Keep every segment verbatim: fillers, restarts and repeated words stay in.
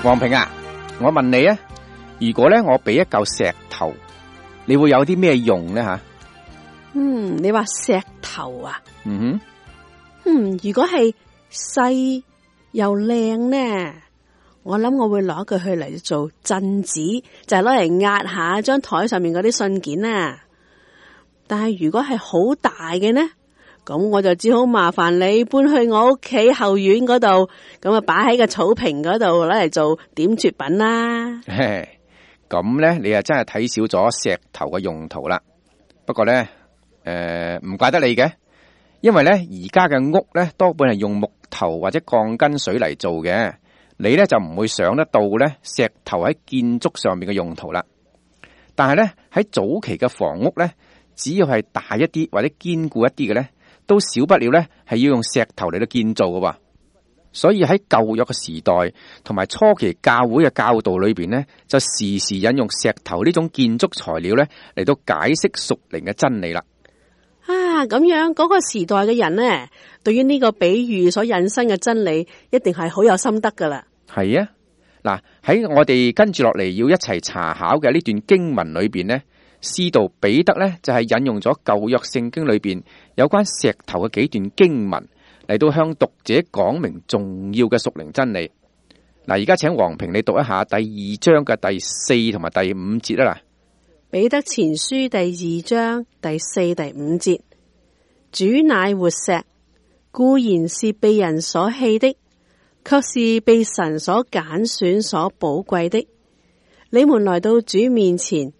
黃平啊，我問你啊，如果咧我俾一嚿石頭，你會有啲咩用呢？吓？嗯，你話石頭啊？嗯哼，嗯，如果係細又靚呢，我諗我會攞佢去嚟做鎮子，就係攞嚟壓下張台上面嗰啲信件啊。但係如果係好大嘅呢，咁我就只好麻煩你搬去我屋企後院嗰度，咁啊擺喺個草坪嗰度攞嚟做點綴品啦。咁咧你啊真係睇少咗石頭嘅用途啦。不過咧，誒唔怪得你嘅，因為咧而家嘅屋咧多半係用木頭或者鋼筋水泥做嘅，你咧就唔會想得到咧石頭喺建築上面嘅用途啦。但係咧喺早期嘅房屋咧，只要係大一啲或者堅固一啲嘅咧，都少不了咧係要用石頭嚟到建造嘅。所以喺舊約嘅時代同埋初期教會嘅教導裏邊咧，就時時引用石頭呢種建築材料咧嚟到解釋屬靈嘅真理啦。啊，咁樣嗰個時代嘅人呢，對於呢個比喻所引申嘅真理，一定係好有心得噶啦。係啊，嗱喺我哋跟住落嚟要一齊查考嘅呢段經文裏邊呢，使徒彼得呢就係引用咗舊約聖經裏邊有關石頭嘅幾段經文嚟到向讀者講明重要嘅屬靈真理。嗱，而家請黃平你讀一下第二章嘅第四同埋第五節啦。彼得前書第二章第四第五節，主乃活石，固然是被人所棄的，卻是被神所揀選所寶貴的。你們來到主面前，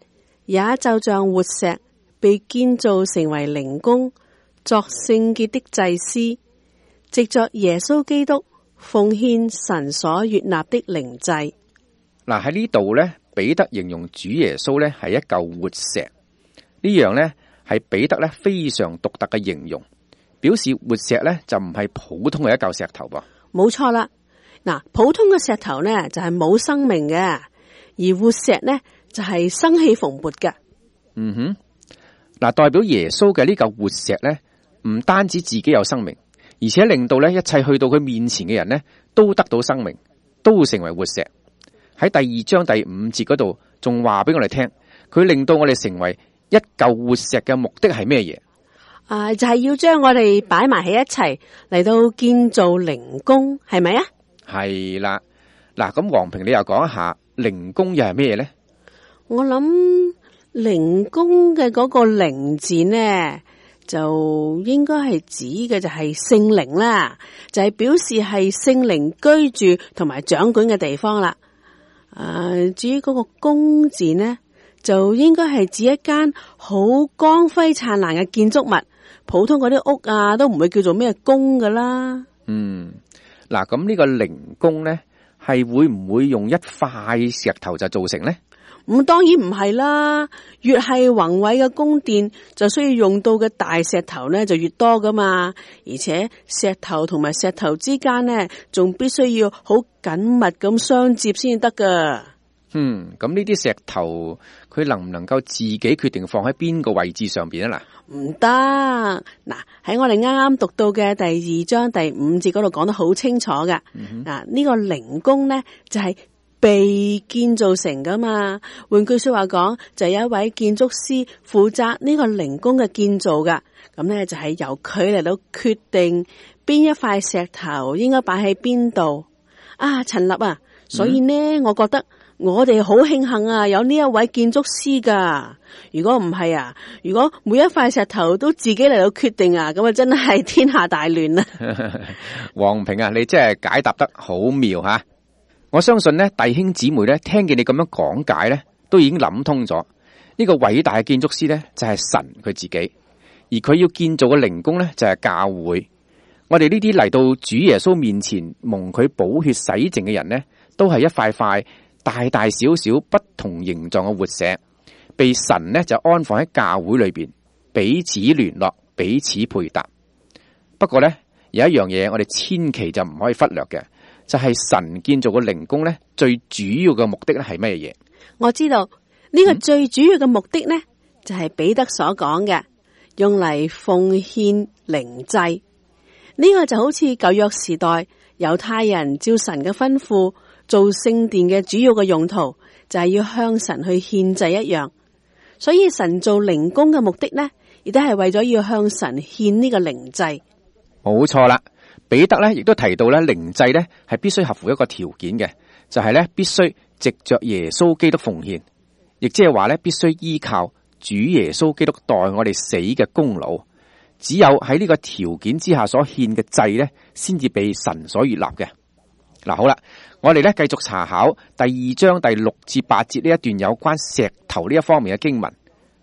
也就像活石被建造成為靈宮，作聖潔的祭司，藉着耶穌基督奉獻神所悅納的靈祭。嗱，喺呢度咧，彼得形容主耶穌咧係一嚿活石，呢樣咧係彼得咧非常獨特嘅形容，表示活石咧就唔係普通嘅一嚿石頭噃。冇錯啦，嗱，普通嘅石頭呢就係冇生命嘅，而活石呢就係生氣蓬勃嘅。嗯哼，嗱，代表耶穌嘅呢嚿活石咧，唔單止自己有生命，而且令到咧一切去到佢面前嘅人呢都得到生命，都成為活石。喺第二章第五節嗰度，仲話俾我哋聽，佢令到我哋成為一嚿活石嘅目的係咩嘢？啊，就係要將我哋擺埋喺一齊嚟到建造靈宮，係咪啊？係啦，嗱，咁黃平你又講一下靈宮又係咩嘢呢？我諗靈宮嘅嗰個靈字呢，就應該係指嘅就係聖靈啦，就係表示係聖靈居住同埋掌管嘅地方啦。誒、呃，至於嗰個宮字呢，就應該係指一間好光輝燦爛嘅建築物，普通嗰啲屋啊都唔會叫做咩宮噶啦。嗯，嗱，咁呢個靈宮呢，係會唔會用一塊石頭就造成呢？咁、嗯、當然唔係啦，越係宏偉嘅宮殿，就需要用到嘅大石頭呢就越多噶嘛，而且石頭同埋石頭之間呢，仲必須要好緊密咁相接先得噶。嗯，咁呢啲石頭佢能唔能夠自己決定放喺邊個位置上邊啊？嗱，唔得。嗱，喺我哋啱啱讀到嘅第二章第五節嗰度講得好清楚噶。嗱、嗯，呢、呢個靈宮呢，就係、是。被建造成噶嘛？換句說話講，就有一位建築師負責呢個靈宮嘅建造噶。咁呢，就係由佢嚟到決定邊一塊石頭應該擺喺邊度。啊，陳立啊，所以呢，嗯、我覺得我哋好慶幸啊，有呢一位建築師噶。如果唔係啊，如果每一塊石頭都自己嚟到決定啊，咁啊真係天下大亂啦。黃平啊，你真係解答得好妙吓！我相信咧，弟兄姊妹咧，聽見你咁樣講解咧，都已經諗通咗。呢個偉大嘅建築師咧，就係神佢自己，而佢要建造嘅靈宮咧，就係教會。我哋呢啲嚟到主耶穌面前蒙佢寶血洗淨嘅人咧，都係一塊塊大大小小不同形狀嘅活石，被神咧就安放喺教會裏邊，彼此聯絡，彼此配搭。不過咧，有一樣嘢我哋千祈就唔可以忽略嘅。就係神建造嘅靈宮咧，最主要嘅目的咧係咩嘢？我知道呢、這個最主要嘅目的呢，嗯、就係彼得所講嘅，用嚟奉獻靈祭。呢、這個就好似舊約時代猶太人照神嘅吩咐，做聖殿嘅主要嘅用途就係要向神去獻祭一樣，所以神做靈宮嘅目的呢，亦都係為咗要向神獻呢個靈祭。冇錯啦，彼得咧亦都提到咧，靈祭咧係必須合乎一個條件嘅，就係咧必須藉着耶穌基督奉獻，亦即係話咧必須依靠主耶穌基督代我哋死嘅功勞。只有喺呢個條件之下所獻嘅祭咧，先至被神所悅納嘅。嗱，好啦，我哋咧繼續查考第二章第六至八節呢一段有關石頭呢一方面嘅經文，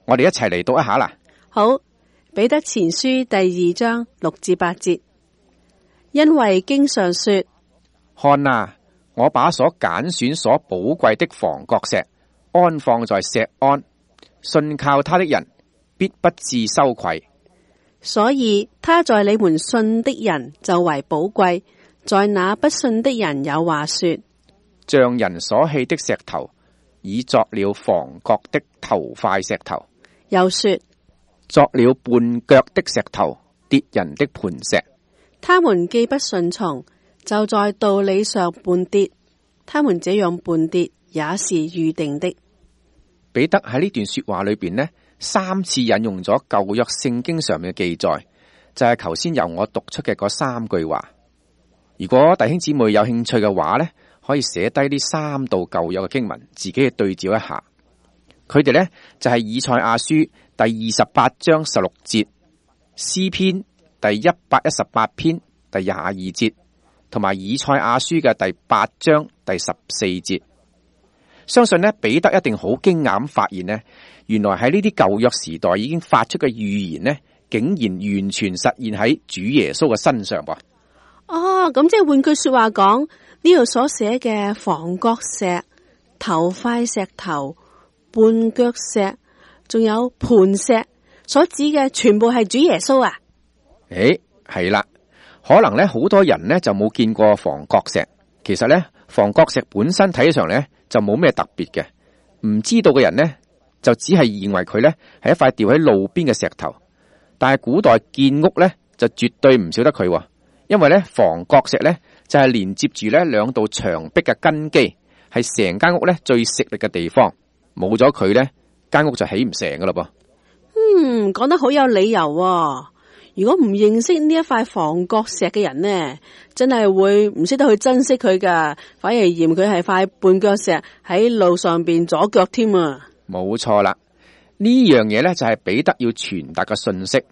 我哋一齊嚟讀一下啦。好，彼得前書第二章六至八節，因為經上說：看啊，我把所揀選所寶貴的房角石安放在錫安，信靠他的人必不致羞愧。所以他在你們信的人就為寶貴，在那不信的人有話說：像人所棄的石頭，已作了房角的頭塊石頭；又說，作了絆腳的石頭，跌人的磐石。他們既不順從，就在道理上絆跌，他們這樣絆跌也是預定的。彼得喺呢段說話裏邊呢，三次引用咗舊約聖經上面嘅記載，就係頭先由我讀出嘅嗰三句話。如果弟兄姊妹有興趣嘅話呢，可以寫低呢三道舊約嘅經文，自己去對照一下。佢哋呢，就係以賽亞書第二十八章十六節，詩篇第一百一十八篇第廿二節，同埋以賽亞書嘅第八章第十四節。相信呢，彼得一定好驚訝咁發現呢，原來喺呢啲舊約時代已經發出嘅預言呢，竟然完全實現喺主耶穌嘅身上噃。哦，咁即係換句說話講，呢度所寫嘅房角石、頭塊石頭、絆腳石，仲有磐石，所指嘅全部係主耶穌啊？誒，係啦，可能咧好多人呢就冇見過房角石，其實咧房角石本身睇起上咧就冇咩特別嘅，唔知道嘅人呢，就只係認為佢咧係一塊掉喺路邊嘅石頭，但係古代建屋咧就絕對唔少得佢。因為咧房角石咧就係連接住咧兩道牆壁嘅根基，係成間屋咧最食力嘅地方，冇咗佢咧間屋就起唔成噶啦噃。嗯，講得好有理由喎。如果唔認識呢一塊房角石嘅人呢，真係會唔識得去珍惜佢噶，反而嫌佢係塊絆腳石喺路上邊阻腳添啊。冇錯啦，呢樣嘢咧就係彼得要傳達嘅信息。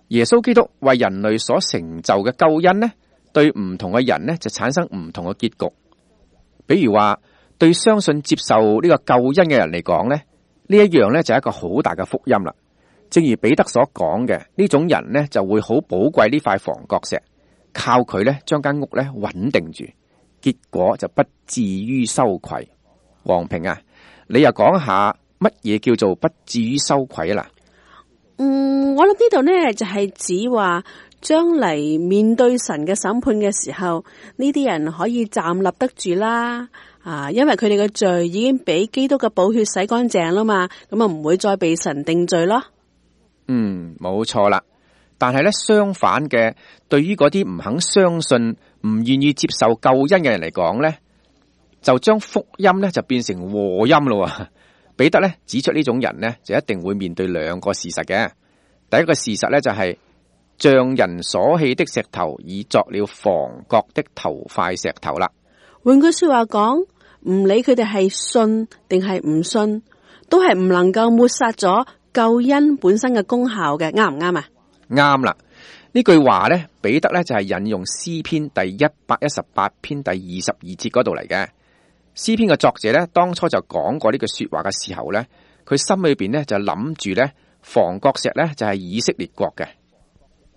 耶穌基督為人類所成就嘅救恩呢，對唔同嘅人呢就產生唔同嘅結局。比如話，對相信接受呢個救恩嘅人嚟講呢，呢一樣呢就係一個好大嘅福音啦。正如彼得所講嘅，呢種人呢就會好寶貴呢塊房角石，靠佢呢將間屋呢穩定住，結果就不至於羞愧。黃平啊，你又講下乜嘢叫做不至於羞愧啊？嗱。嗯，我諗呢度呢就係指話將嚟面對神嘅審判嘅時候，呢啲人可以站立得住啦。啊，因為佢哋嘅罪已經俾基督嘅寶血洗乾淨啦嘛，咁啊唔會再被神定罪咯。嗯，冇錯啦。但係咧相反嘅，對於嗰啲唔肯相信、唔願意接受救恩嘅人嚟講咧，就將福音咧就變成禍音咯。彼得咧指出呢種人呢，就一定會面對兩個事實嘅。第一個事實咧就係、是、像人所棄的石頭，已作了房角的頭塊石頭啦。換句說話講，唔理佢哋係信定係唔信，都係唔能夠抹殺咗救恩本身嘅功效嘅，啱唔啱啊？啱啦，呢句話咧，彼得咧就係、是、引用詩篇第一百一十八篇第二十二節嗰度嚟嘅。詩篇嘅作者咧，當初就講過呢句說話嘅時候咧，佢心裏邊咧就諗住咧，房角石咧就係以色列國嘅。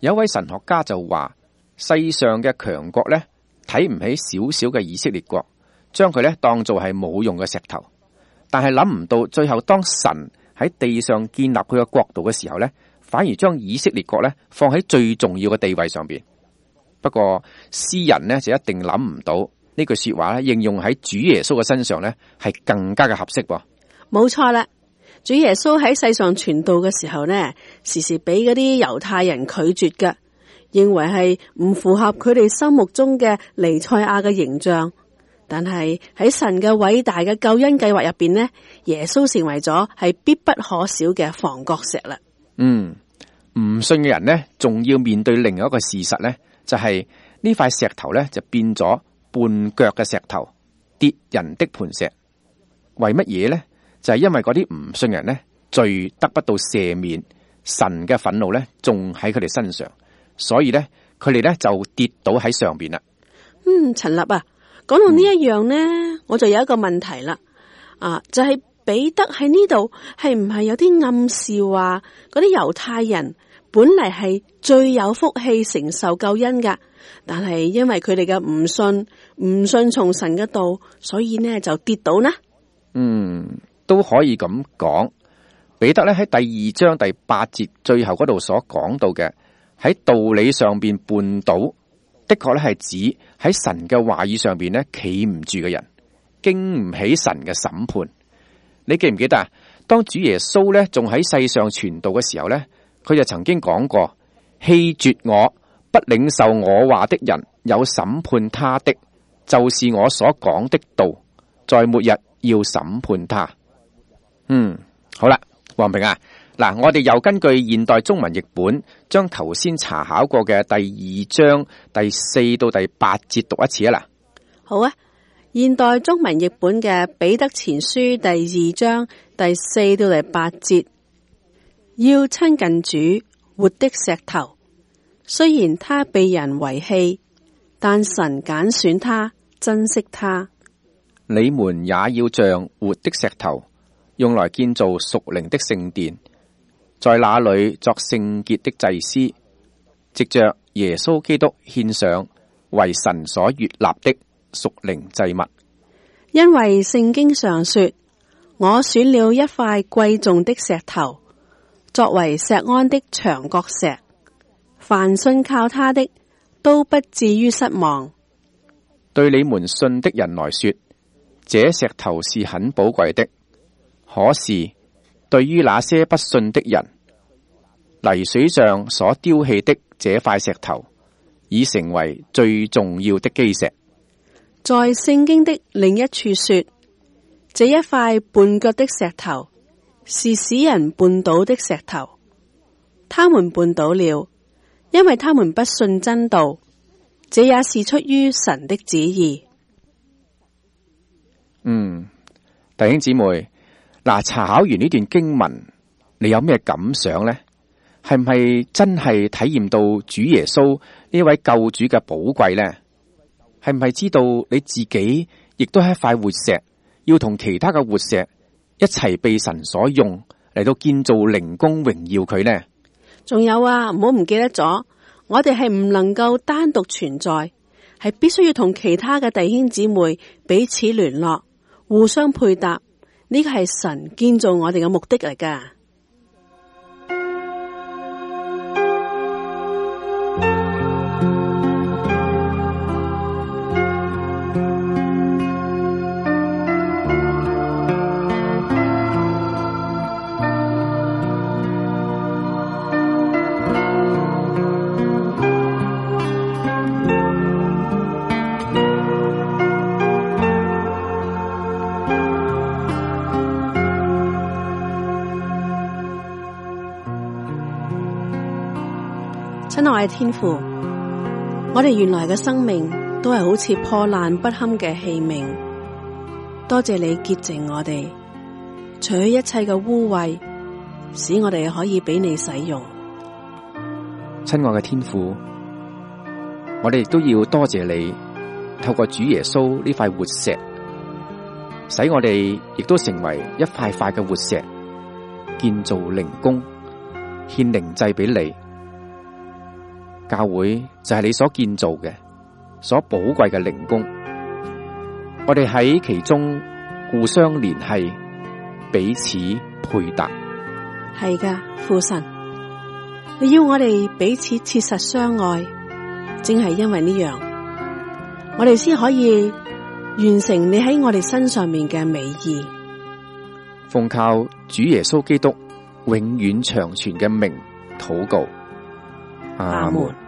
有一位神學家就話，世上嘅強國咧睇唔起少少嘅以色列國，將佢咧當做係冇用嘅石頭。但係諗唔到最後當神喺地上建立佢嘅國度嘅時候咧，反而將以色列國咧放喺最重要嘅地位上邊。不過詩人呢，就一定諗唔到。呢句說話咧，應用喺主耶穌嘅身上咧，係更加嘅合適噃。冇錯啦，主耶穌喺世上傳道嘅時候呢，時時俾嗰啲猶太人拒絕嘅，認為係唔符合佢哋心目中嘅彌賽亞嘅形象。但係喺神嘅偉大嘅救恩計劃入邊呢，耶穌成為咗係必不可少嘅房角石啦。嗯，唔信嘅人呢，仲要面對另外一個事實呢，就係呢塊石頭呢，就變咗絆腳嘅石頭，跌人的磐石。為乜嘢呢？就係因為嗰啲唔信人呢，罪得不到赦免，神嘅憤怒呢，仲喺佢哋身上，所以呢，佢哋呢就跌倒喺上邊啦。嗯，陳立啊，講到呢一樣呢，嗯、我就有一個問題啦。啊，就係、是、彼得喺呢度係唔係有啲暗示話嗰啲猶太人本嚟係最有福氣承受救恩噶，但係因為佢哋嘅唔信，唔信從神嘅道，所以呢就跌倒呢？嗯，都可以咁講。彼得咧喺第二章第八節最後嗰度所講到嘅，喺道理上邊絆倒，的確咧係指喺神嘅話語上邊咧企唔住嘅人，經唔起神嘅審判。你記唔記得啊？當主耶穌咧仲喺世上傳道嘅時候咧，佢就曾經講過：棄絕我不領受我話的人，有審判他的，就是我所講的道，在末日要審判他。嗯，好啦。黃平啊，嗱，我哋又根據現代中文譯本，將頭先查考過嘅第二章第四到第八節讀一次啊！嗱，好啊，現代中文譯本嘅彼得前書第二章第四到第八節，要親近主，活的石頭，雖然他被人遺棄，但神揀選他，珍惜他。你們也要像活的石頭，用來建造屬靈的聖殿，在那裏作聖潔的祭司，藉着耶穌基督獻上為神所悅納的屬靈祭物。因為聖經上說，我選了一塊貴重的石頭，作為錫安的牆角石，凡信靠他的都不至於失望。對你們信的人來說，這石頭是很寶貴的。可是對於那些不信的人，泥水上所丟棄的這塊石頭，已成為最重要的基石。在聖經的另一處說，這一塊絆腳的石頭是使人絆倒的石頭，他們絆倒了，因為他們不信真道，這也是出於神的旨意。嗯，弟兄姊妹。嗱，查考完呢段經文，你有咩感想呢？係唔係真係體驗到主耶穌呢位救主嘅寶貴呢？係唔係知道你自己亦都係一塊活石，要同其他嘅活石一齊被神所用嚟到建造靈宮榮耀佢呢？仲有啊，唔好唔記得咗，我哋係唔能夠單獨存在，係必須要同其他嘅弟兄姊妹彼此聯絡，互相配搭。呢個係神建造我哋嘅目的嚟㗎。親愛嘅天父，我哋原來嘅生命都係好似破爛不堪嘅器皿，多謝你潔淨我哋，除去一切嘅污穢，使我哋可以俾你使用。親愛嘅天父，我哋亦都要多謝你，透過主耶穌呢塊活石，使我哋亦都成為一塊塊嘅活石，建造靈宮，獻靈祭俾你。教會就係你所建造嘅，所寶貴嘅靈宮。我哋喺其中互相聯繫，彼此配搭。係噶，父神，你要我哋彼此切實相愛，正係因為呢樣，我哋先可以完成你喺我哋身上面嘅美意。奉靠主耶穌基督永遠長存嘅名禱告，阿門。